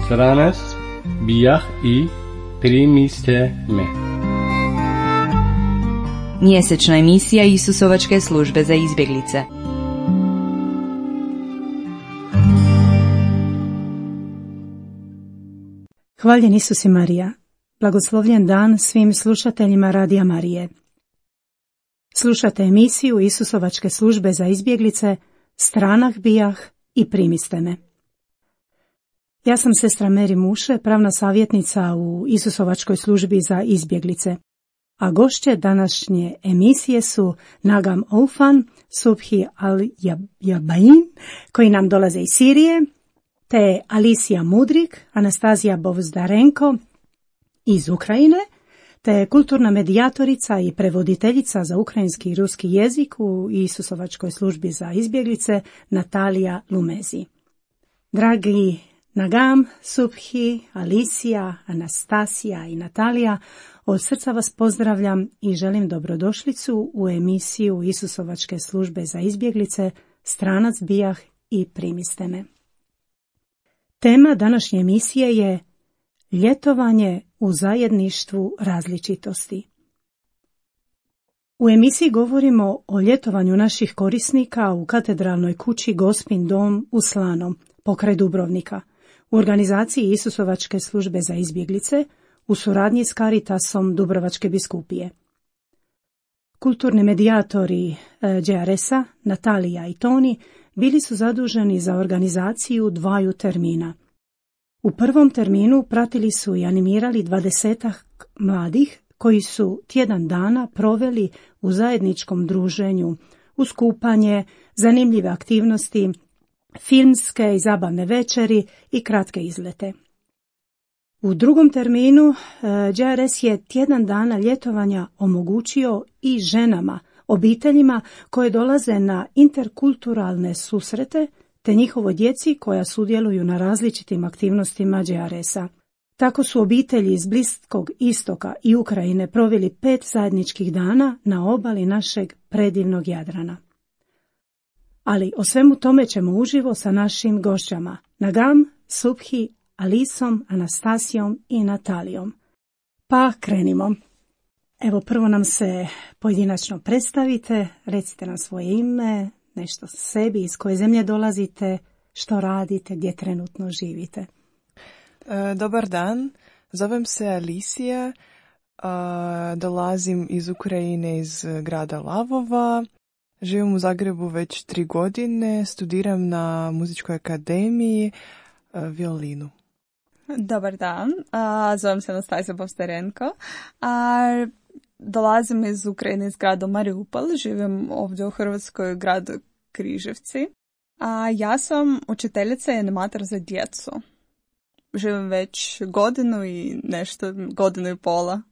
Stranac bijah i primiste me. Mjesečna emisija Isusovačke službe za izbjeglice. Hvaljen Isus i Marija. Blagoslovljen dan svim slušateljima Radija Marije. Slušate emisiju Isusovačke službe za izbjeglice Stranah bijah i primiste me. Ja sam sestra Meri Muše, pravna savjetnica u Isusovačkoj službi za izbjeglice, a gošće današnje emisije su Nagam Oufan, Subhi Al-Jabain, koji nam dolaze iz Sirije, te Alicija Mudrik, Anastazija Bovzdarenko iz Ukrajine, te kulturna medijatorica i prevoditeljica za ukrajinski i ruski jezik u Isusovačkoj službi za izbjeglice Natalija Lumezi. Dragi Nagam, Subhi, Alicija, Anastasija i Natalija, od srca vas pozdravljam i želim dobrodošlicu u emisiju Isusovačke službe za izbjeglice Stranac bijah i primiste me. Tema današnje emisije je ljetovanje u zajedništvu različitosti. U emisiji govorimo o ljetovanju naših korisnika u katedralnoj kući Gospin dom u Slanom, pokraj Dubrovnika, u organizaciji Isusovačke službe za izbjeglice, u suradnji s Caritasom Dubrovačke biskupije. Kulturni medijatori JRS-a, Natalija i Toni, bili su zaduženi za organizaciju dvaju termina. U prvom terminu pratili su i animirali 20 mladih koji su tjedan dana proveli u zajedničkom druženju, uz kupanje, zanimljive aktivnosti, filmske i zabavne večeri i kratke izlete. U drugom terminu JRS je tjedan dana ljetovanja omogućio i ženama, obiteljima koje dolaze na interkulturalne susrete, te njihovoj djeci koja sudjeluju na različitim aktivnostima JRS-a. Tako su obitelji iz Bliskog istoka i Ukrajine proveli 5 zajedničkih dana na obali našeg predivnog Jadrana. Ali o svemu tome ćemo uživo sa našim gošćama Nagam, Subhi, Alisom, Anastasijom i Natalijom. Pa krenimo. Evo, prvo nam se pojedinačno predstavite, recite nam svoje ime, nešto o sebi, iz koje zemlje dolazite, što radite, gdje trenutno živite. Dobar dan, zovem se Alicija, dolazim iz Ukrajine, iz grada Lavova, živim u Zagrebu već 3 godine, studiram na muzičkoj akademiji violinu. Dobar dan, zovem se Anastasija Bovzdarenko, dolazim iz Ukrajine, iz grada Mariupol, živim ovdje u Hrvatskoj, gradu Križevci. Ja sam učiteljica i animator za djecu. Živim već godinu i pola.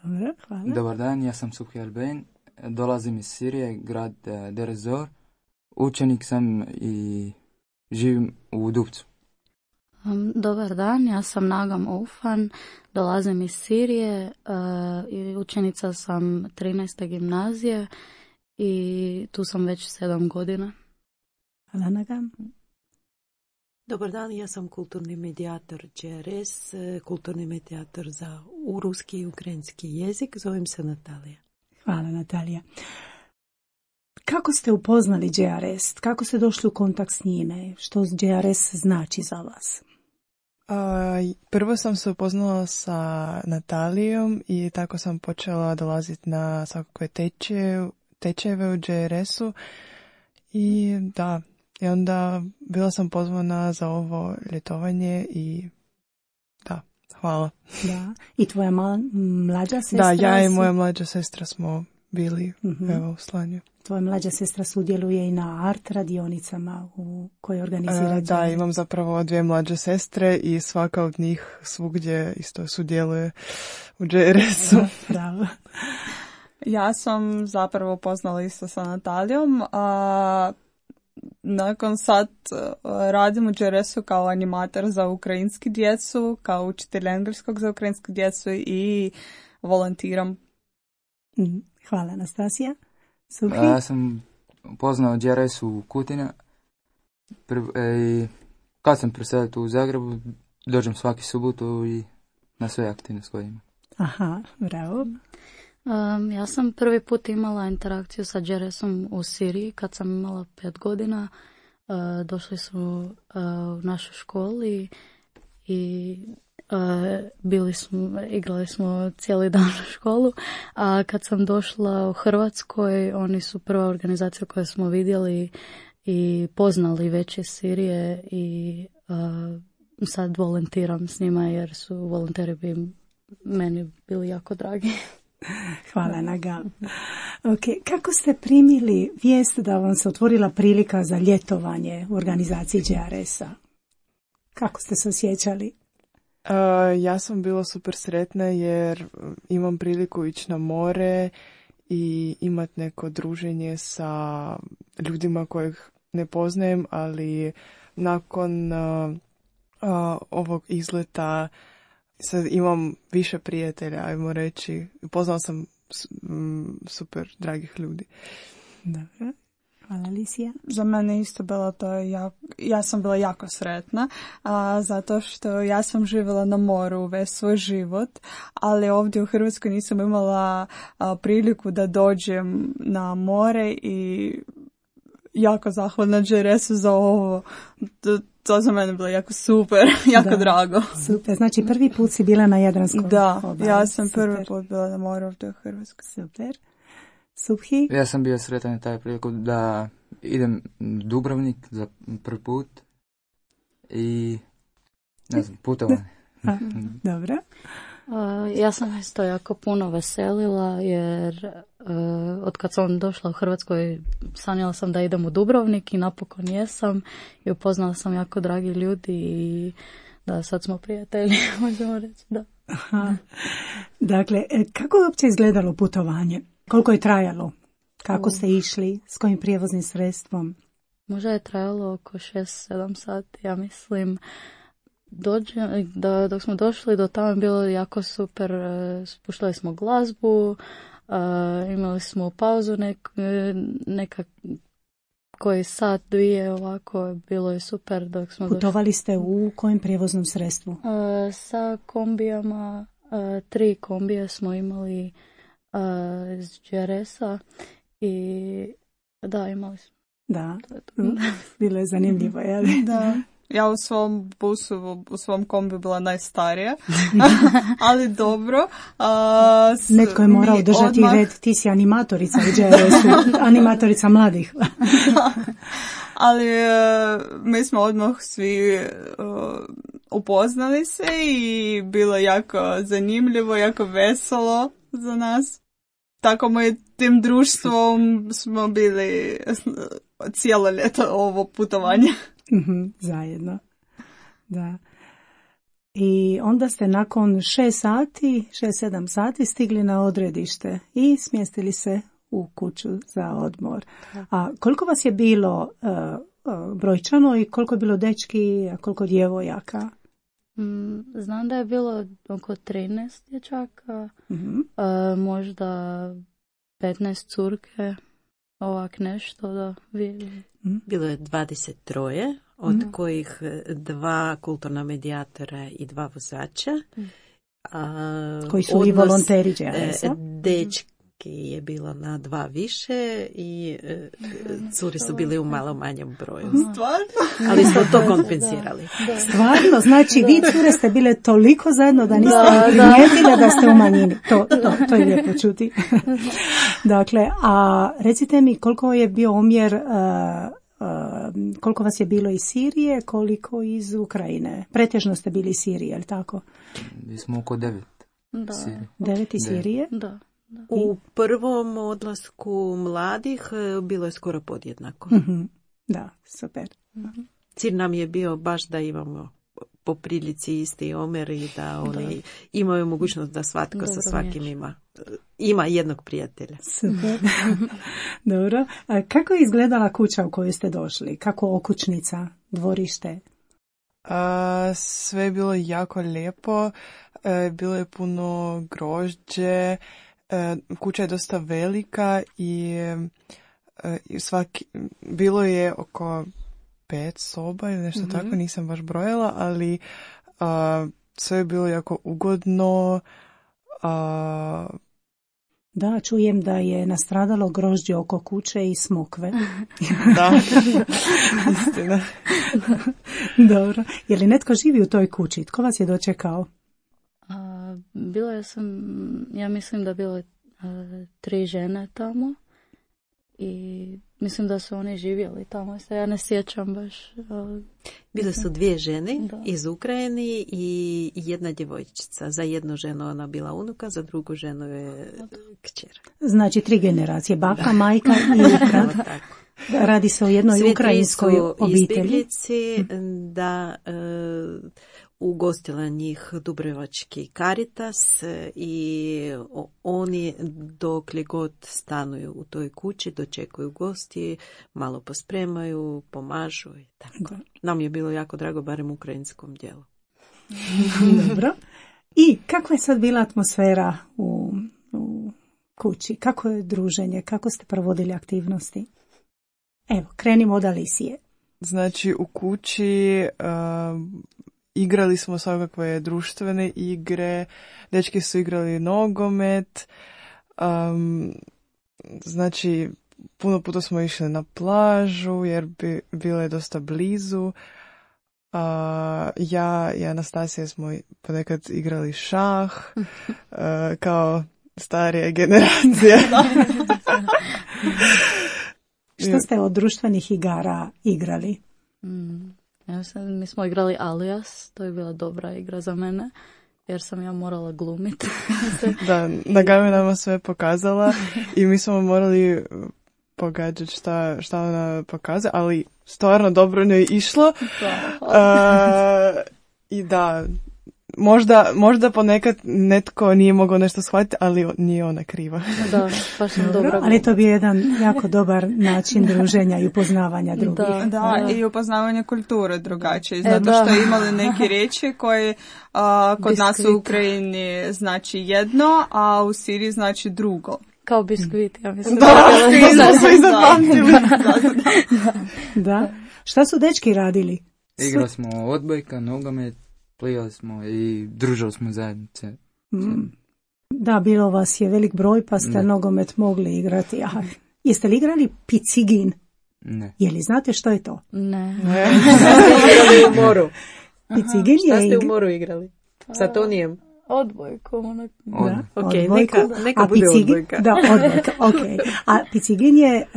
Dobro, hvala. Dobar dan, ja sam Subhi Al-Jabain, dolazim iz Sirije, grad Deir ez-Zor. Učenik sam i živim u Dubcu. Dobar dan, ja sam Nagam Oufan, dolazim iz Sirije i učenica sam 13. gimnazije i tu sam već 7 godina. Hvala, Nagam. Dobar dan, ja sam kulturni medijator JRS, kulturni medijator za ruski i ukrajinski jezik, zovem se Natalija. Hvala, Natalija. Kako ste upoznali JRS? Kako ste došli u kontakt s njime? Što JRS znači za vas? Prvo sam se upoznala sa Natalijom i tako sam počela dolaziti na svakakve tečajeve u JRS-u i onda bila sam pozvana za ovo ljetovanje i hvala. Da. I tvoja mlađa sestra? Da, ja i moja mlađa sestra smo bili u Slanju. Tvoja mlađa sestra sudjeluje i na art radionicama u kojoj organizira. Da, imam zapravo 2 mlađe sestre i svaka od njih svugdje isto sudjeluje u JRS-u. Bravo. Ja sam zapravo poznala isto sa Natalijom, nakon sad radim u JRS-u kao animator za ukrajinski djecu, kao učitelj engleskog za ukrajinsku djecu i volontiram Hvala, Anastasija. Subhi? Ja sam poznao GRS u Kutina. I kad sam preselio tu u Zagrebu, dođem svaki subotu i na sve aktivnosti koje imam. Aha, bravo. Ja sam prvi put imala interakciju sa GRS-om u Siriji kad sam imala 5 godina. Došli su u našoj školi i igrali smo cijeli dan u školu, a kad sam došla u Hrvatskoj, oni su prva organizacija koju smo vidjeli i poznali već iz Sirije i sad volontiram s njima jer su volonteri bi meni bili jako dragi. Hvala, Naga. Okay. Kako ste primili vijest da vam se otvorila prilika za ljetovanje u organizaciji GRS-a? Kako ste se osjećali? Ja sam bila super sretna jer imam priliku ići na more i imati neko druženje sa ljudima kojih ne poznajem, ali nakon ovog izleta sad imam više prijatelja, ajmo reći. Poznala sam super dragih ljudi. Dobro. Hvala, Alicija. Za mene isto bilo to, ja sam bila jako sretna, zato što ja sam živjela na moru već svoj život, ali ovdje u Hrvatskoj nisam imala priliku da dođem na more i jako zahvalna GRS-u za ovo. To za mene bilo jako super, jako drago. Super, znači prvi put si bila na Jadranskom obali. Da, ja sam prvi put bila na moru ovdje u Hrvatskoj. Super. Subhi? Ja sam bio sretan na taj priliku da idem Dubrovnik za prvi put i ne znam, putovanje. Dobro. Ja sam isto jako puno veselila jer od kad sam došla u Hrvatskoj sanjala sam da idem u Dubrovnik i napokon jesam i upoznala sam jako dragi ljudi i da sad smo prijatelji, možemo reći, da. Aha. Dakle, kako je uopće izgledalo putovanje? Koliko je trajalo? Kako ste išli? S kojim prijevoznim sredstvom? Možda je trajalo oko 6-7 sati, ja mislim. Dok smo došli do tamo bilo jako super, spuštali smo glazbu, imali smo pauzu neka koji sat, dvije, ovako, bilo je super dok smo Putovali ste u kojem prijevoznom sredstvu? Sa kombijama, 3 kombije smo imali iz GRS-a i da, imali smo. Da, bilo je zanimljivo, jel? Da. Ja u svom busu, u svom kombi bila najstarija, ali dobro. Netko je morao držati red, ti si animatorica u GRS-u, animatorica mladih. Ali mi smo odmah svi upoznali se i bilo jako zanimljivo, jako veselo za nas. Tako tim društvom smo bili cijelo ljeto ovo putovanje. Zajedno. Da. I onda ste nakon 6-7 sati stigli na odredište i smjestili se u kuću za odmor. A koliko vas je bilo brojčano i koliko je bilo dečki, a koliko djevojaka? Znam da je bilo oko 13 dječaka, možda 15 curke, ovak nešto da vidim. Bilo je 23, od kojih 2 kulturna medijatora i 2 vozača. Koji su i volonteri GRS-a? Dečki je bilo na 2 više i curi su bili u malo manjem broju. Stvarno? Ali smo to kompenzirali. Da. Stvarno? Znači vi cure ste bile toliko zajedno da niste primijetile da ste u manjini. To je lijepo čuti. Dakle, a recite mi koliko je bio omjer, koliko vas je bilo iz Sirije, koliko iz Ukrajine? Pretežno ste bili iz Sirije, je li tako? Mi smo oko 9. Da. 9 iz Sirije? Da. U prvom odlasku mladih bilo je skoro podjednako. Da, super. Cilj nam je bio baš da imamo po prilici isti omjer i da oni imaju mogućnost da svatko sa svakim ima jednog prijatelja. Super. Dobro. A kako je izgledala kuća u kojoj ste došli? Kako okućnica, dvorište? Sve je bilo jako lijepo. Bilo je puno grožđe kuća je dosta velika i bilo je oko 5 soba ili nešto tako, nisam baš brojala, ali sve je bilo jako ugodno. Da, čujem da je nastradalo grožđe oko kuće i smokve. Da, istina. Dobro. Je li netko živi u toj kući? Tko vas je dočekao? Ja mislim da bilo 3 žene tamo i mislim da su oni živjeli tamo, ja ne sjećam baš. Bile su 2 žene iz Ukrajine i jedna djevojčica. Za jednu ženu ona bila unuka, za drugu ženu je kćer. Znači 3 generacije, baka, majka i unuka. Radi se o jednoj ukrajinskoj obitelji. Izbjeglici, da ugostila njih Dubrovački Caritas i oni dokle god stanuju u toj kući, dočekuju gosti, malo pospremaju, pomažu i tako. Nam je bilo jako drago, barem u ukrajinskom dijelu. Dobro. I kakva je sad bila atmosfera u kući? Kako je druženje? Kako ste provodili aktivnosti? Evo, krenimo od Alisije. Znači, u kući igrali smo svakakve društvene igre, dečki su igrali nogomet, znači, puno puta smo išli na plažu jer bilo je dosta blizu. Ja i Anastasija smo ponekad igrali šah, kao starije generacije. Što ste od društvenih igara igrali? Mi smo igrali Alias, to je bila dobra igra za mene, jer sam ja morala glumiti. Da, Nagami nama sve pokazala i mi smo morali pogađati šta ona pokazuje, ali stvarno dobro ne je išlo. I da, možda ponekad netko nije mogao nešto shvatiti, ali nije ona kriva. Da, baš sam dobro. Ali to bi jedan jako dobar način druženja i upoznavanja drugih. Da, i upoznavanja kulture drugačije, zato što imali neke riječi koje kod nas u Ukrajini znači jedno, a u Siriji znači drugo. Kao biskvit, ja mislim. Da, svi zapamtili. Da. Šta su dečki radili? Igrali smo odbojka, nogomet, plivali smo i družili smo zajednice. Da, bilo vas je velik broj, pa ste nogomet mogli igrati. Jeste li igrali picigin? Ne. Je li znate što je to? Ne. Igrali u moru. Picigin Šta ste u moru igrali? Sa Tonijem? Odbojku. Neka bude odbojka. Da, odbojka, ok. A picigin je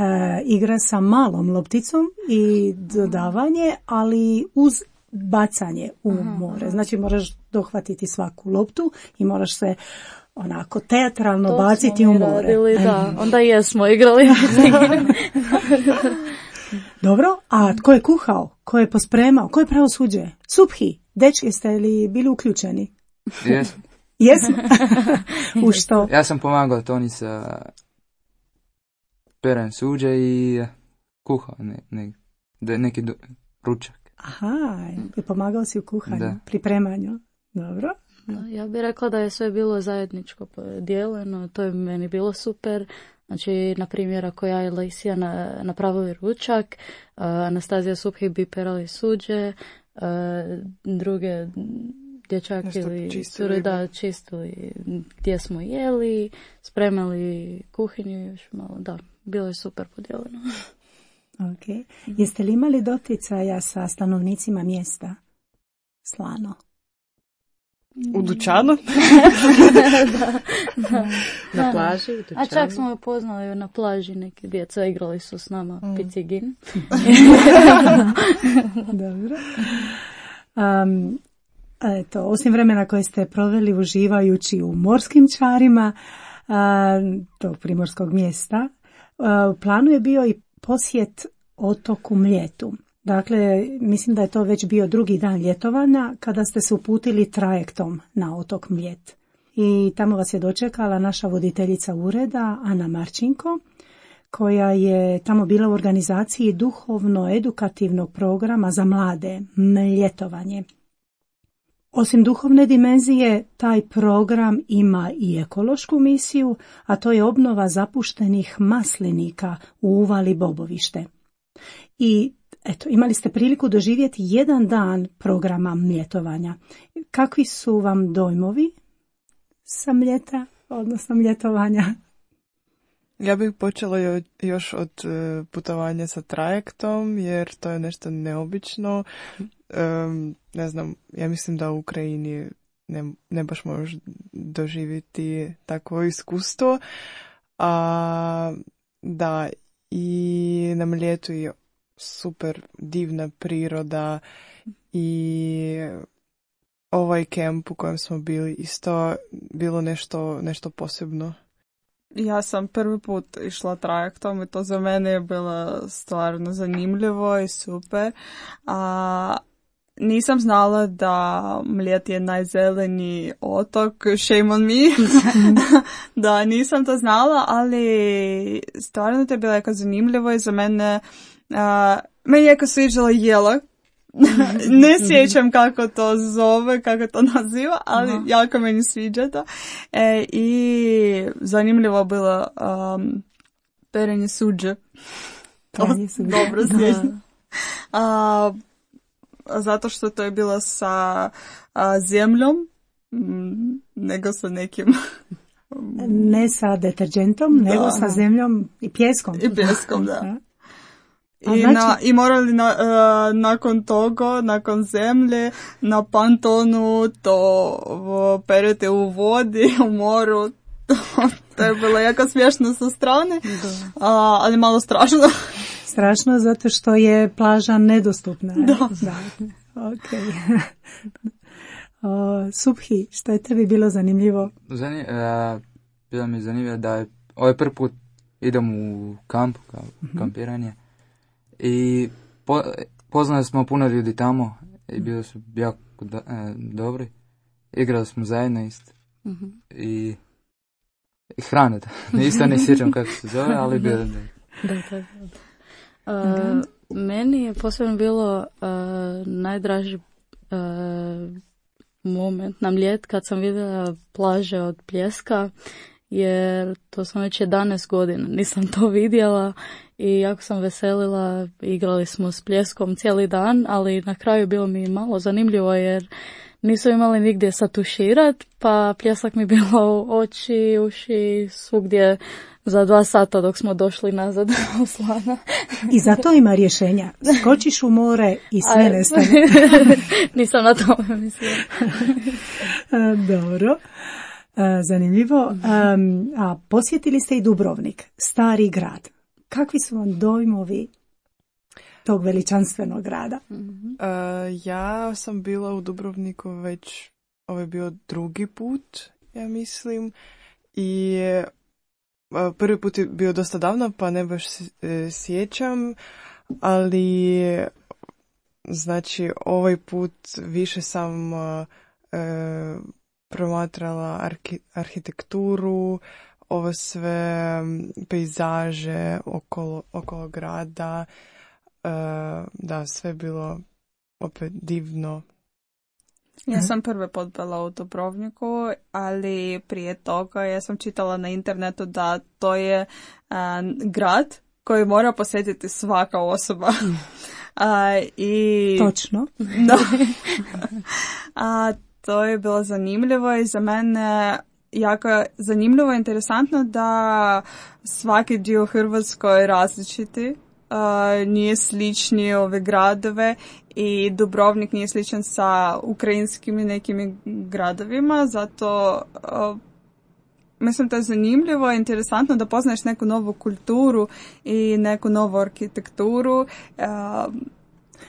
igra sa malom lopticom i dodavanje, ali uz bacanje u more. Znači moraš dohvatiti svaku loptu i moraš se onako teatralno baciti u more. Radili, da. Onda jesmo igrali. Dobro, a tko je kuhao? Ko je pospremao? Ko je pravosuđe? Subhi, dečki, jeste li bili uključeni? Jesmo. Jesmo? U što? Ja sam pomagao Toni sa peranjem suđa i kuhao neki ručak. Aha, i pomagao si u kuhanju, pripremanju. Dobro. Ja bih rekla da je sve bilo zajedničko podijeljeno, to je meni bilo super. Znači, na primjer, ako ja i Lejsija napravili ručak, Anastazija Subhi bi perali suđe, druge dječak ili cure čistili gdje smo jeli, spremali kuhinju još malo, da, bilo je super podijeljeno. Ok. Jeste li imali doticaja sa stanovnicima mjesta? Slano. U dućanu? Da. Na plaži, u dućanu. A čak smo upoznali na plaži, neki djeca igrali su s nama picigin. Dobro. Eto, osim vremena koje ste proveli uživajući u morskim čarima tog primorskog mjesta, u planu je bio i posjet otoku Mljetu. Dakle, mislim da je to već bio drugi dan ljetovanja kada ste se uputili trajektom na otok Mljet. I tamo vas je dočekala naša voditeljica ureda, Ana Marčinko, koja je tamo bila u organizaciji duhovno-edukativnog programa za mlade, Mljetovanje. Osim duhovne dimenzije, taj program ima i ekološku misiju, a to je obnova zapuštenih maslinika u uvali Bobovište. I eto, imali ste priliku doživjeti jedan dan programa mljetovanja. Kakvi su vam dojmovi sa mljeta, odnosno mljetovanja? Ja bih počela još od putovanja sa trajektom, jer to je nešto neobično. Ne znam, ja mislim da u Ukrajini ne baš možeš doživjeti takvo iskustvo. Da, i na Mljetu je super divna priroda i ovaj kemp u kojem smo bili isto bilo nešto posebno. Ja sam prvi put išla trajektom i to za mene je bilo stvarno zanimljivo i super. Nisam znala da Mljet je najzeleniji otok, shame on me. Da, nisam to znala, ali stvarno to je bilo jako zanimljivo i za mene je jako sviđala jela. Ne sjećam kako to zove, kako to naziva, ali jako meni sviđa to. I zanimljivo bilo perenje suđe. Dobro sjećam. Zato što to je bilo sa zemljom, nego sa nekim... Ne sa deterđentom, nego sa zemljom i pjeskom. I pjeskom, da. I morali nakon toga, nakon zemlje, na pantonu to perete u vodi, u moru. To je bilo jako smiješno sa strane, ali malo strašno. Strašno zato što je plaža nedostupna. Da. Okay. Subhi, što je tebi bilo zanimljivo? Bilo mi je zanimljivo da je ovaj prvi put idem u kamp, kampiranje. I poznali smo puno ljudi tamo i bili su jako dobri. Igrali smo zajedno isto. I hrana, isto ne sjećam kako se zove, ali bilo meni je posebno bilo najdraži moment na Mljet kad sam vidjela plaže od pljeska, jer to sam već 11 godina, nisam to vidjela i jako sam veselila, igrali smo s pljeskom cijeli dan, ali na kraju bilo mi malo zanimljivo jer nisu imali nigdje satuširat, pa pljesak mi bilo u oči, uši, svugdje za 2 sata dok smo došli nazad u Slana. I zato ima rješenja. Skočiš u more i sve nestane. Nisam na tome mislila. Dobro. Zanimljivo. A posjetili ste i Dubrovnik, stari grad. Kakvi su vam dojmovi tog veličanstvenog grada? Ja sam bila u Dubrovniku već, ovo je bio drugi put, ja mislim, i prvi put je bio dosta davno, pa ne baš sjećam, ali znači ovaj put više sam promatrala arhitekturu, ovo sve pejzaže okolo grada, da, sve bilo opet divno. Ja sam prvi put bila u Dubrovniku, ali prije toga ja sam čitala na internetu da to je grad koji mora posjetiti svaka osoba. Točno. Da. To je bilo zanimljivo i za mene jako zanimljivo i interesantno da svaki dio Hrvatskoj je različiti. Nije slični ove gradove i Dubrovnik nije sličan sa ukrajinskim i nekim gradovima, zato mislim da je zanimljivo i interesantno da poznaješ neku novu kulturu i neku novu arhitekturu.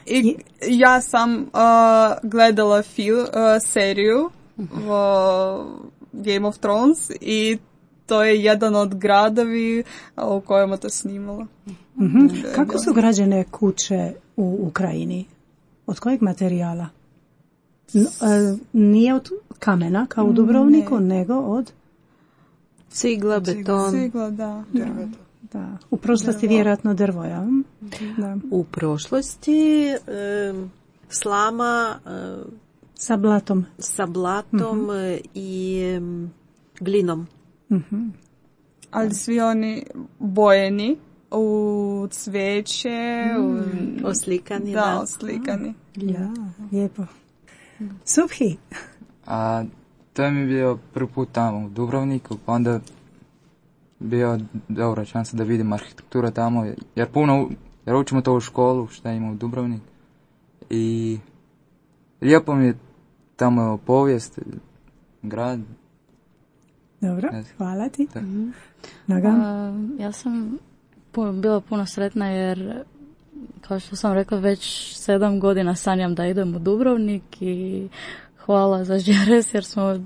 I ja sam gledala seriju Game of Thrones i to je jedan od gradovi u kojima to snimalo. Kako su građene kuće u Ukrajini? Od kojeg materijala? Nije od kamena kao u Dubrovniku, nego od cigla, beton. Cigla, da. Da. U prošlosti vjerojatno drvo, ja? Da. U prošlosti slama, Sa blatom. Sa blatom i glinom. Ali svi oni bojeni u cvijeće, oslikani. Da, oslikani. Ja, lijepo. Subhi. A to je mi bio prvi put tamo u Dubrovniku, pa onda bio dobra šansa da vidim arhitekturu tamo, jer učimo to u školu, šta ima u Dubrovniku. I lijepo mi je tamo povijest, grad. Dobro, hvala ti. Ja sam bila puno sretna jer, kao što sam rekla, već 7 godina sanjam da idem u Dubrovnik i hvala za GRS jer smo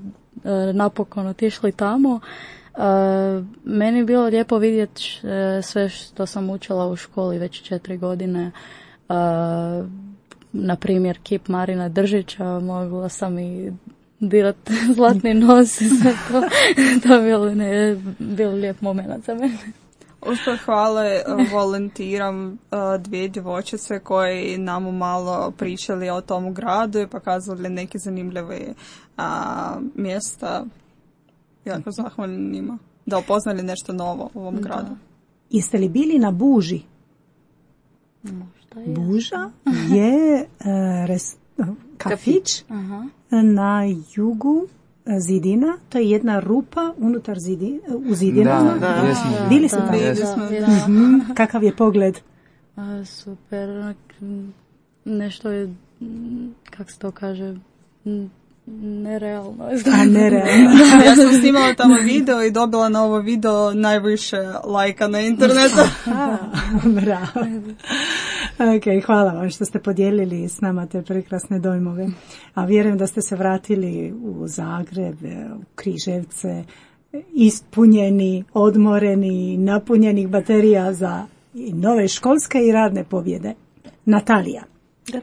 napokon otišli tamo. Meni je bilo lijepo vidjeti sve što sam učila u školi već 4 godine. Na primjer, kip Marina Držića, mogla sam i dirati zlatni nos i sve to. To je bilo lijep moment za mene. Uspred hvale volontiram 2 djevojčice koji nam malo pričali o tom gradu i pokazali neke zanimljive mjesta. Jako zahvalni njima. Da upoznali nešto novo u ovom gradu. Jeste li bili na Buži? Možda je. Buža je kafić na jugu zidina. To je jedna rupa unutar u zidinama. Da. Bili ste tamo? Kakav je pogled? Super. Nešto je, kako se to kaže, nerealno. Nerealno. Ja sam snimala tamo video i dobila na ovo video najviše lajka na internetu. Bravo. Ok, hvala vam što ste podijelili s nama te prekrasne dojmove. A vjerujem da ste se vratili u Zagreb, u Križevce, ispunjeni, odmoreni, napunjenih baterija za nove školske i radne pobjede. Natalija. Da.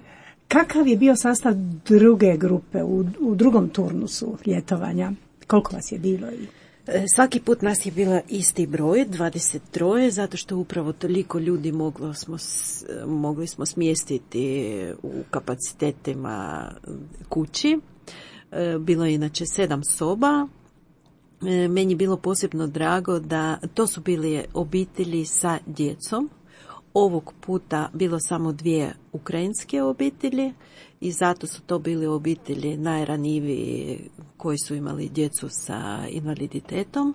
Kakav je bio sastav druge grupe u drugom turnusu ljetovanja? Koliko vas je bilo? Svaki put nas je bila isti broj, 23, zato što upravo toliko ljudi mogli smo smjestiti u kapacitetima kući. Bilo je inače 7 soba. Meni je bilo posebno drago da to su bile obitelji sa djecom. Ovog puta bilo samo 2 ukrajinske obitelji i zato su to bile obitelji najranjiviji koji su imali djecu sa invaliditetom,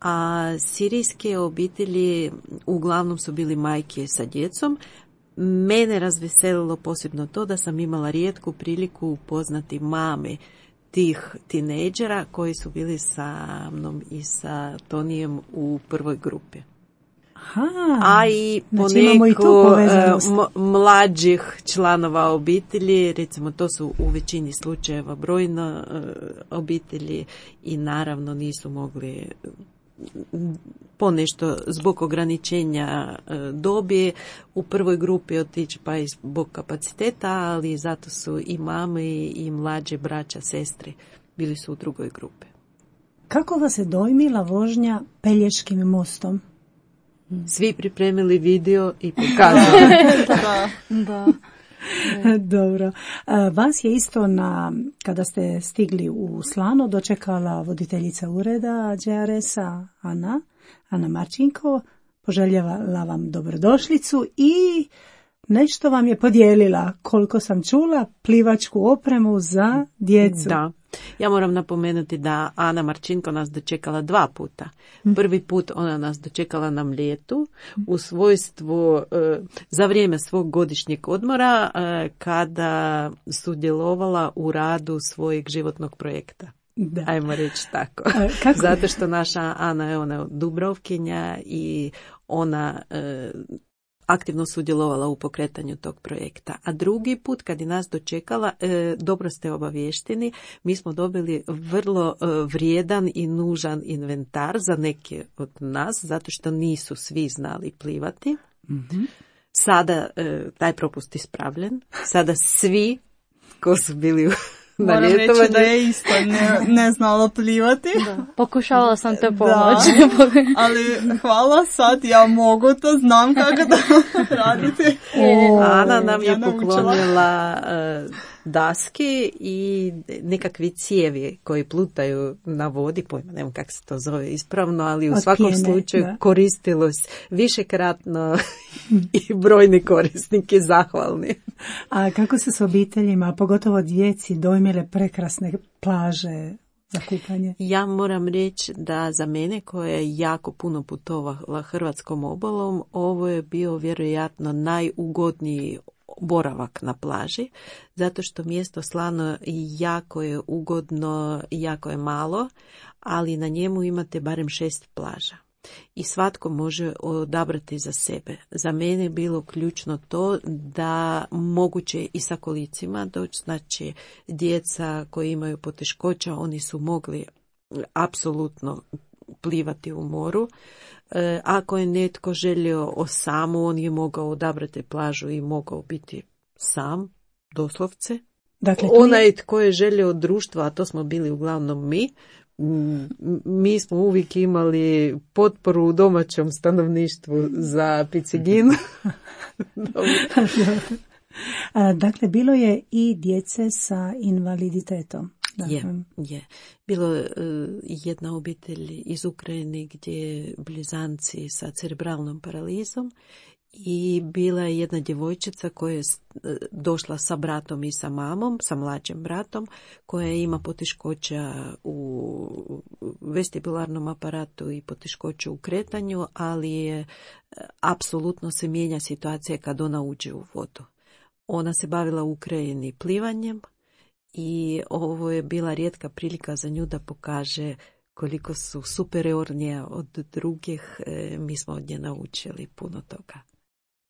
a sirijske obitelji uglavnom su bili majke sa djecom. Mene razveselilo posebno to da sam imala rijetku priliku upoznati mame tih tinejdžera koji su bili sa mnom i sa Tonijem u prvoj grupi. A i poneko mlađih članova obitelji, recimo to su u većini slučajeva brojne obitelji i naravno nisu mogli ponešto zbog ograničenja dobi u prvoj grupi otići pa i zbog kapaciteta, ali zato su i mame i mlađe braća, sestre bili su u drugoj grupi. Kako vas je dojmila vožnja Pelješkim mostom? Svi pripremili video i pokazali. Da. Dobro. Vas je isto kada ste stigli u Slano dočekala voditeljica ureda GRS-a Ana Marčinko, poželjevala vam dobrodošlicu i nešto vam je podijelila, koliko sam čula, plivačku opremu za djecu. Da. Ja moram napomenuti da Ana Marčinko nas dočekala 2 puta. Prvi put ona nas dočekala na Mljetu u svojstvu za vrijeme svog godišnjeg odmora kada sudjelovala u radu svojeg životnog projekta. Da. Ajmo reći tako. Zato što naša Ana je ona Dubrovkinja i ona aktivno sudjelovala u pokretanju tog projekta. A drugi put kad je nas dočekala, dobro ste obavješteni, mi smo dobili vrlo vrijedan i nužan inventar za neke od nas, zato što nisu svi znali plivati. Mm-hmm. Sada taj propust ispravljen. Sada svi ko su bili Moram reći da je isto ne znala plivati. Da. Pokušavala sam te Da, pomoći. ali hvala, sad ja mogu to, znam kako da radite. Ana nam je Ja naučila. poklonila daske i nekakvi cijevi koji plutaju na vodi, pojma, ne znam kako se to zove ispravno, ali u Od svakom pjene, slučaju da. koristilo se višekratno i brojni korisniki zahvalni. A kako se s obiteljima, pogotovo djeci, dojmile prekrasne plaže za kupanje? Ja moram reći da za mene koja je jako puno putovala hrvatskom obalom, ovo je bio vjerojatno najugodniji boravak na plaži, zato što mjesto Slano jako je ugodno, jako je malo, ali na njemu imate barem 6 plaža. I svatko može odabrati za sebe. Za mene je bilo ključno to da moguće i sa kolicima doći, znači djeca koji imaju poteškoća, oni su mogli apsolutno plivati u moru. Ako je netko želio samu, on je mogao odabrati plažu i mogao biti sam, doslovce. Dakle, Onaj tko je želio društva, a to smo bili uglavnom mi smo uvijek imali potporu u domaćem stanovništvu za picigin. Dakle, bilo je i djece sa invaliditetom. Je. Bilo je jedna obitelj iz Ukrajine gdje blizanci sa cerebralnom paralizom i bila je jedna djevojčica koja je došla sa bratom i sa mamom, sa mlađim bratom, koja ima poteškoća u vestibularnom aparatu i poteškoće u kretanju, ali je apsolutno se mijenja situacija kad ona uđe u vodu. Ona se bavila u Ukrajini plivanjem i ovo je bila rijetka prilika za nju da pokaže koliko su superiornije od drugih. Mi smo od nje naučili puno toga.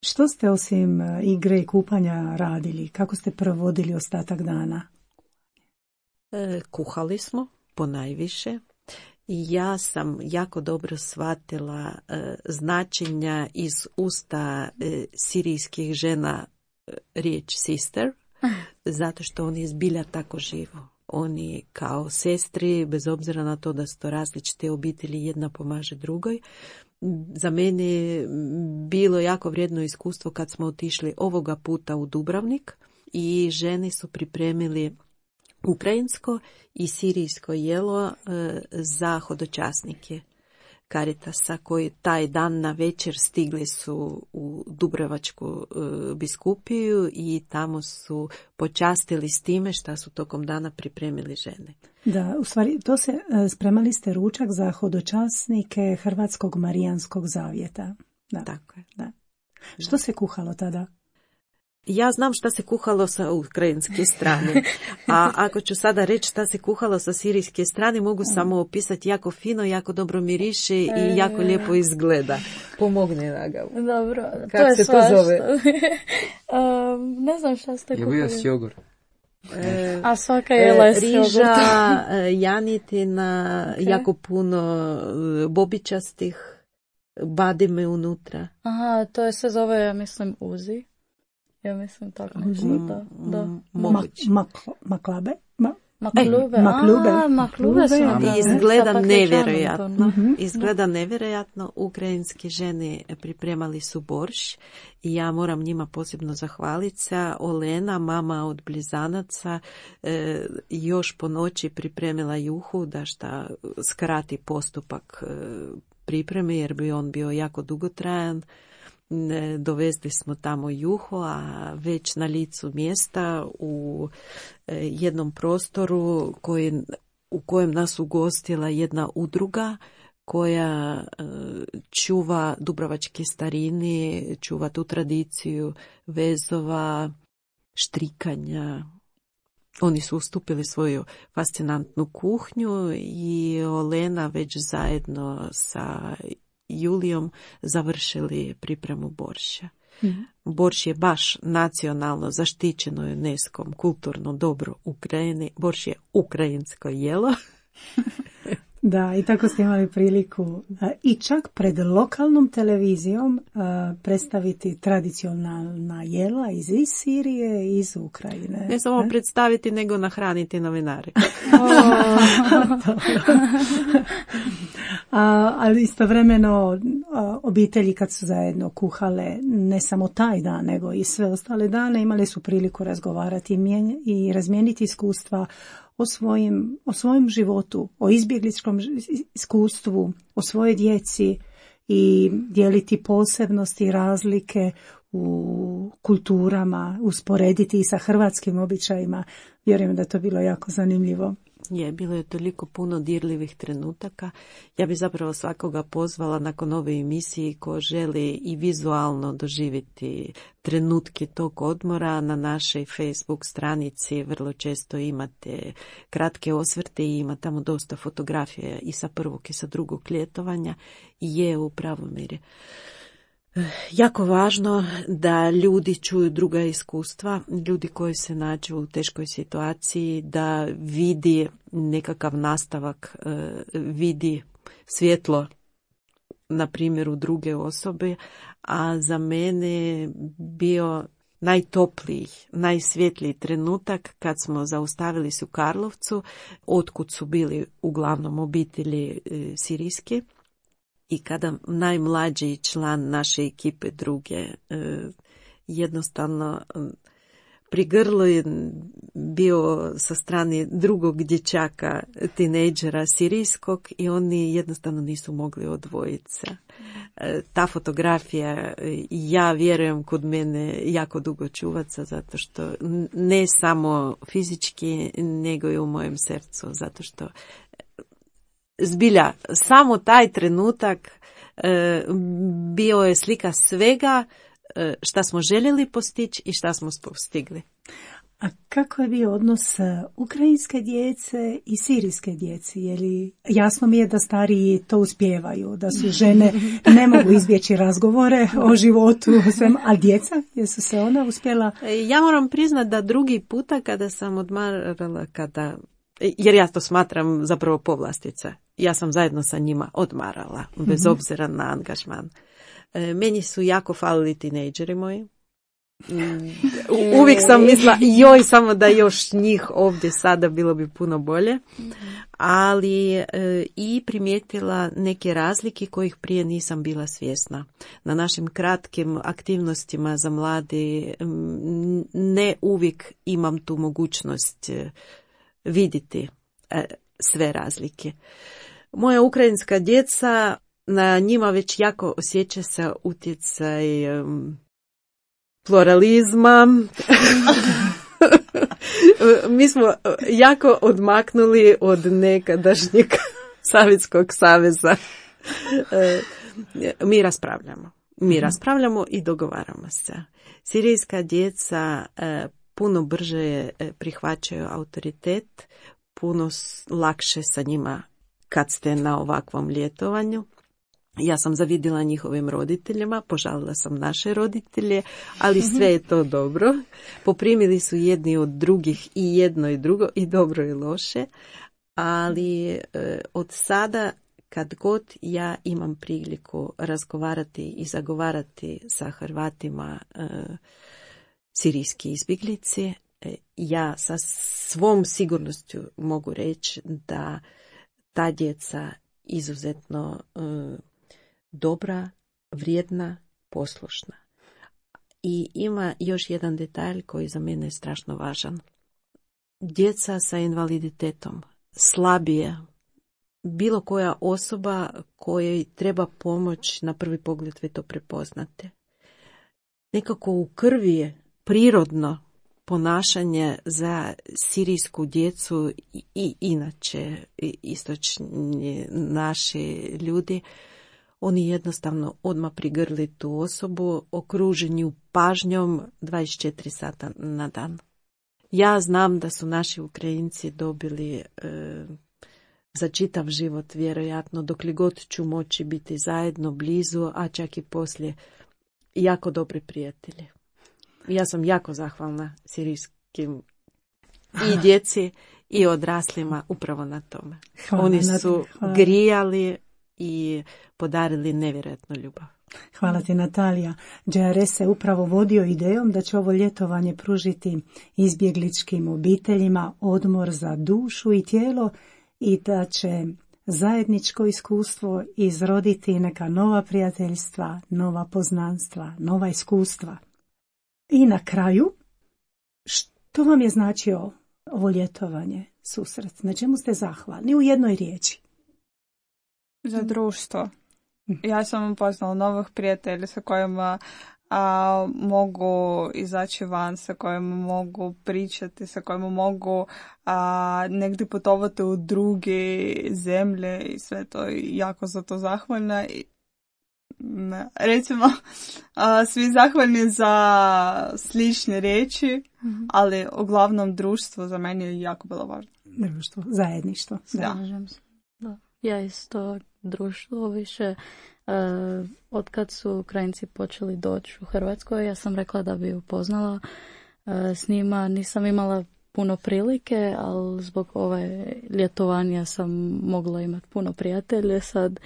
Što ste osim igre i kupanja radili? Kako ste provodili ostatak dana? Kuhali smo ponajviše. Ja sam jako dobro shvatila značenja iz usta sirijskih žena riječ sister, zato što oni zbilja tako živo. Oni kao sestri, bez obzira na to da su to različite obitelji, jedna pomaže drugoj. Za mene je bilo jako vrijedno iskustvo kad smo otišli ovoga puta u Dubrovnik i žene su pripremili ukrajinsko i sirijsko jelo za hodočasnike Caritasa koji taj dan na večer stigli su u Dubrovačku biskupiju i tamo su počastili s time što su tokom dana pripremili žene. Da, u stvari, spremali ste ručak za hodočasnike Hrvatskog Marijanskog zavjeta. Da. Tako je. Da. Što se kuhalo tada? Ja znam šta se kuhalo sa ukrajinske strane, a ako ću sada reći šta se kuhalo sa sirijske strane, mogu samo opisati jako fino, jako dobro miriše i jako lijepo izgleda. Pomogni Nagavu. Dobro, Kako se to zove? Ne znam šta ste kuhali. Je bio s jogurt. A svaka jela je s riža, jogurtom. janitina, jako puno bobičastih, badime unutra. Aha, to se zove, ja mislim, uzi. Ja mislim tako nešto, da. Maklabe? Maklube. Maklube su napravljene Izgleda sa nevjerojatno. paklečanom. Izgleda nevjerojatno. Ukrajinske žene pripremali su borš i ja moram njima posebno zahvaliti. Olena, mama od blizanaca, još po noći pripremila juhu da šta skrati postupak pripreme jer bi on bio jako dugotrajan. Dovezli smo tamo juho, a već na licu mjesta u jednom prostoru u kojem nas ugostila jedna udruga koja čuva dubrovačke starine, čuva tu tradiciju vezova, štrikanja. Oni su ustupili svoju fascinantnu kuhnju i Olena već zajedno sa Julijom završili pripremu borša. Borš je baš nacionalno zaštićeno UNESCO-om kulturno dobro Ukrajini. Borš je ukrajinsko jelo. Da, i tako ste imali priliku i čak pred lokalnom televizijom predstaviti tradicionalna jela iz Sirije i iz Ukrajine. Ne samo predstaviti, nego nahraniti novinare. Ali istovremeno obitelji kad su zajedno kuhale ne samo taj dan, nego i sve ostale dane, imali su priliku razgovarati i razmijeniti iskustva o svojem životu, o izbjegličkom iskustvu, o svojoj djeci i dijeliti posebnosti i razlike u kulturama, usporediti i sa hrvatskim običajima. Vjerujem da je to bilo jako zanimljivo. Bilo je toliko puno dirljivih trenutaka. Ja bi zapravo svakoga pozvala nakon ove emisije ko želi i vizualno doživjeti trenutke tog odmora. Na našoj Facebook stranici vrlo često imate kratke osvrte i ima tamo dosta fotografija i sa prvog i sa drugog ljetovanja. I je u pravom mjeri jako važno da ljudi čuju druga iskustva, ljudi koji se nađu u teškoj situaciji, da vidi nekakav nastavak, vidi svjetlo na primjeru druge osobe, a za mene bio najtopliji, najsvjetliji trenutak kad smo zaustavili se u Karlovcu, otkud su bili uglavnom obitelji sirijske. I kada najmlađi član naše ekipe druge jednostavno pri grlu je bio sa strane drugog dječaka, tinejdžera sirijskog i oni jednostavno nisu mogli odvojiti se. Ta fotografija, ja vjerujem, kod mene jako dugo čuvaca, zato što ne samo fizički, nego i u mojem srcu, zato što zbilja, samo taj trenutak bio je slika svega šta smo željeli postići i šta smo postigli. A kako je bio odnos ukrajinske djece i sirijske djece? Jasno mi je da stariji to uspijevaju, da su žene ne mogu izbjeći razgovore o životu, a djeca, jesu se ona uspjela? Ja moram priznati da drugi puta kada sam odmarala, jer ja to smatram zapravo povlastica. Ja sam zajedno sa njima odmarala, bez obzira na angažman. Meni su jako falili tinejdžeri moji. Uvijek sam mislila, samo da još njih ovdje sada bilo bi puno bolje. Ali i primijetila neke razlike kojih prije nisam bila svjesna. Na našim kratkim aktivnostima za mlade ne uvijek imam tu mogućnost vidjeti sve razlike. Moja ukrajinska djeca, na njima već jako osjeća se utjecaj pluralizma. Mi smo jako odmaknuli od nekadašnjeg Sovjetskog saveza. Mi raspravljamo i dogovaramo se. Sirijska djeca puno brže prihvaćaju autoritet, puno lakše sa njima kad ste na ovakvom ljetovanju. Ja sam zavidjela njihovim roditeljima, požalila sam naše roditelje, ali sve je to dobro. Poprimili su jedni od drugih i jedno i drugo, i dobro i loše, ali od sada kad god ja imam priliku razgovarati i zagovarati sa Hrvatima sirijski izbjeglici, ja sa svom sigurnošću mogu reći da ta djeca izuzetno dobra, vrijedna, poslušna. I ima još jedan detalj koji za mene je strašno važan. Djeca sa invaliditetom, slabije, bilo koja osoba kojoj treba pomoć, na prvi pogled vi to prepoznate. Nekako u krvi je prirodno ponašanje za sirijsku djecu i inače istočni naši ljudi. Oni jednostavno odmah prigrli tu osobu, okruženi ju pažnjom 24 sata na dan. Ja znam da su naši Ukrajinci dobili za čitav život, vjerojatno, dokle god ću moći biti zajedno, blizu, a čak i poslije, jako dobri prijatelji. Ja sam jako zahvalna sirijskim i djeci i odraslima upravo na tome. Hvala, Oni su hvala. grijali i podarili nevjerojatnu ljubav. Hvala ti, Natalija. JRS se upravo vodio idejom da će ovo ljetovanje pružiti izbjegličkim obiteljima odmor za dušu i tijelo i da će zajedničko iskustvo izroditi neka nova prijateljstva, nova poznanstva, nova iskustva. I na kraju, što vam je značio ovo ljetovanje, susret? Na čemu ste zahvalni? U jednoj riječi. Za društvo. Ja sam upoznala novih prijatelja sa kojima mogu izaći van, sa kojima mogu pričati, sa kojima mogu negdje putovati u druge zemlje i sve to, jako za to zahvalna. Recimo, svi zahvalni za slične riječi, ali uglavnom društvo za mene je jako bilo važno. Društvo, zajedništvo. Slažem se. Da. Ja isto društvo više, otkad su Ukrajinci počeli doći u Hrvatskoj, ja sam rekla da bi upoznala s njima. Nisam imala puno prilike, ali zbog ove ljetovanja sam mogla imati puno prijatelje sad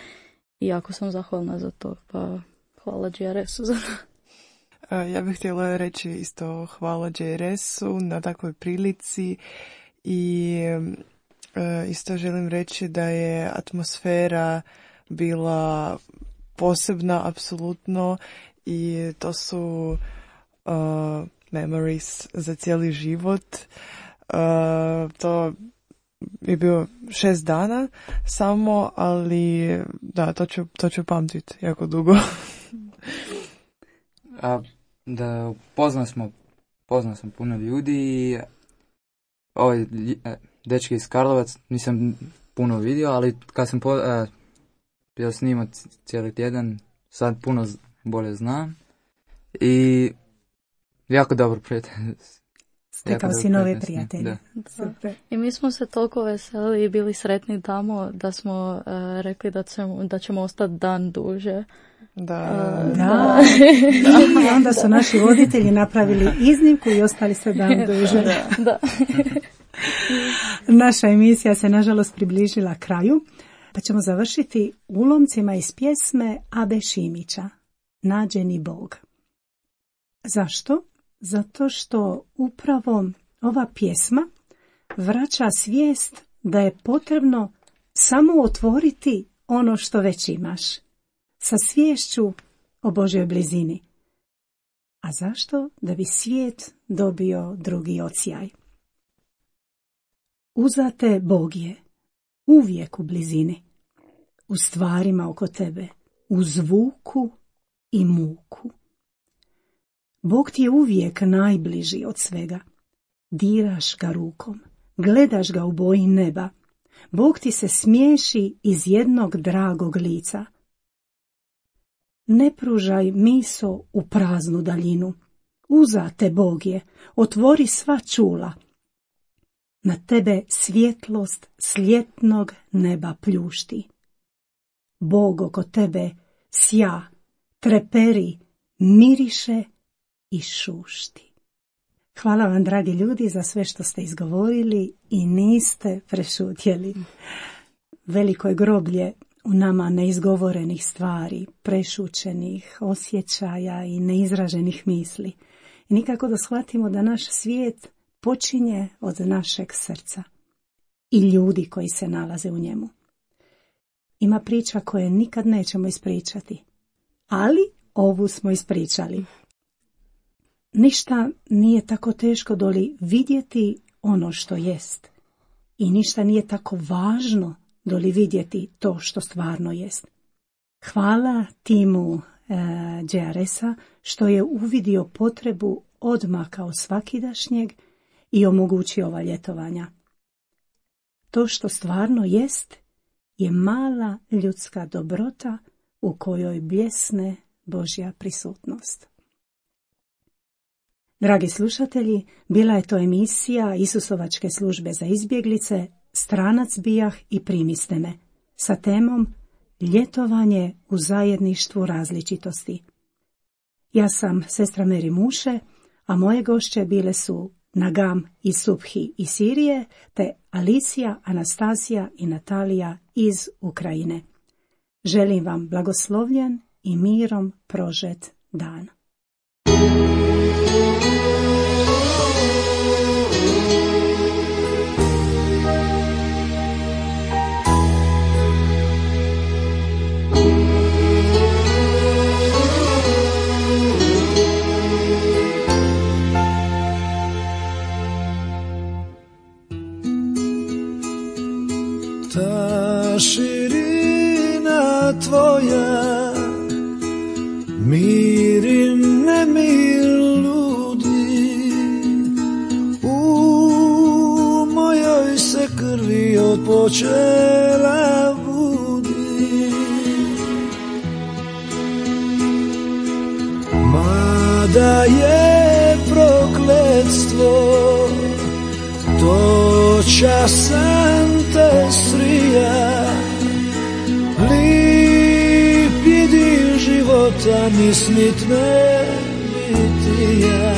i jako sam zahvalna za to. Pa hvala JRS-u za to. Ja bih htjela reći isto hvala JRS-u na takvoj prilici i isto želim reći da je atmosfera bila posebna, apsolutno, i to su memories za cijeli život. To je bio 6 dana samo, ali da, to ću pamtiti jako dugo. Da poznao sam puno ljudi i ovaj dečki iz Karlovac nisam puno vidio, ali kad sam bio s njima cijeli tjedan, sad puno bolje znam i jako dobro prijatelj. Stekao si nove prijatelje. Super. I mi smo se toliko veseli i bili sretni tamo da smo rekli da ćemo ostati dan duže. Da. I onda su naši voditelji napravili iznimku i ostali se dan duže. Da. Naša emisija se nažalost približila kraju, pa ćemo završiti ulomcima iz pjesme Abe Šimića, Nađeni Bog. Zašto? Zato što upravo ova pjesma vraća svijest da je potrebno samo otvoriti ono što već imaš, sa sviješću o Božjoj blizini. A zašto? Da bi svijet dobio drugi odsjaj. Uzate Bog je uvijek u blizini, u stvarima oko tebe, u zvuku i muku. Bog ti je uvijek najbliži od svega. Diraš ga rukom, gledaš ga u boji neba. Bog ti se smiješi iz jednog dragog lica. Ne pružaj miso u praznu daljinu. Uzate Bog je, otvori sva čula. Na tebe svjetlost sljetnog neba pljušti. Bog oko tebe sja, treperi, miriše i šušti. Hvala vam, dragi ljudi, za sve što ste izgovorili i niste prešutjeli. Veliko je groblje u nama neizgovorenih stvari, prešućenih osjećaja i neizraženih misli. I nikako da shvatimo da naš svijet počinje od našeg srca i ljudi koji se nalaze u njemu. Ima priča koje nikad nećemo ispričati, ali ovu smo ispričali. Ništa nije tako teško doli vidjeti ono što jest. I ništa nije tako važno doli vidjeti to što stvarno jest. Hvala timu JRS-a što je uvidio potrebu odmaka od svakidašnjeg i omogućio ova ljetovanja. To što stvarno jest je mala ljudska dobrota u kojoj bljesne Božja prisutnost. Dragi slušatelji, bila je to emisija Isusovačke službe za izbjeglice Stranac bijah i primiste me sa temom Ljetovanje u zajedništvu različitosti. Ja sam sestra Meri Muše, a moje gošće bile su Nagam i Subhi iz Sirije, te Alicija, Anastasija i Natalija iz Ukrajine. Želim vam blagoslovljen i mirom prožet dan. Ta širina tvoja miri nemir ludi, u mojoj se krvi od počela budi. Mada je prokletstvo, to časan te srija, lip idil života ni snit ne bitija.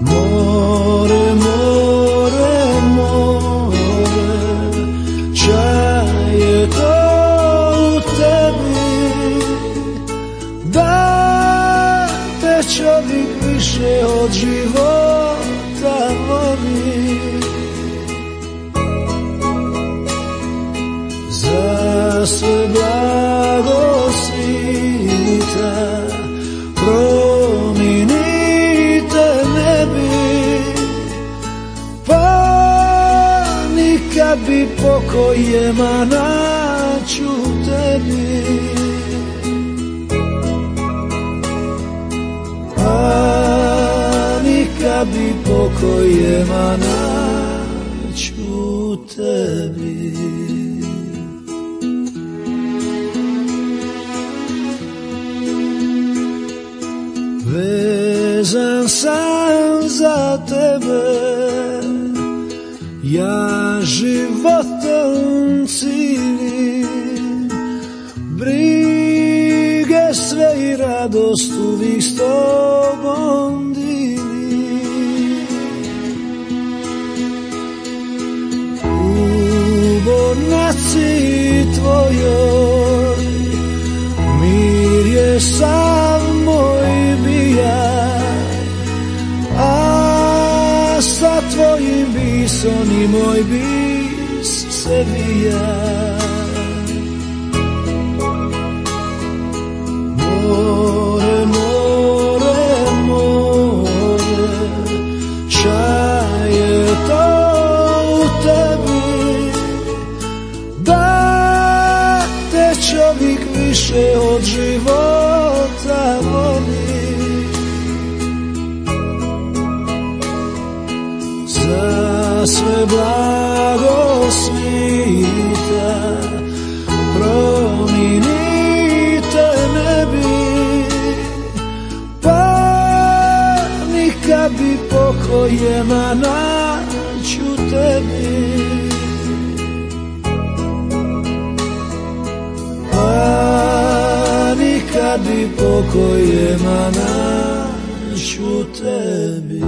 More, more, more, čaj je to u tebi, da te čovjek više od života voli. Za sve blago svita prominite nebi, pa nikad bi pokojema naću tebi. Nikad bi pokojema naću tebi. Vezan sam za tebe, ja životom cijelim, brige sve i radost uvijek s tobom dijelim. U bornaci tvojoj mir je sav moj bijaj, a sa tvojim bisom i moj bis se bija. More, more, more, čaj je to u tebi, da te čovjek više od života voli. Za sve blago svita prominite nebi, pa nikad bi pokojema naću tebi. Pa nikad bi pokojema naću tebi.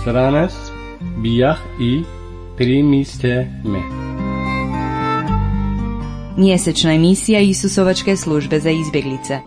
Stranac bijah i primiste me. Mjesečna emisija Isusovačke službe za izbjeglice.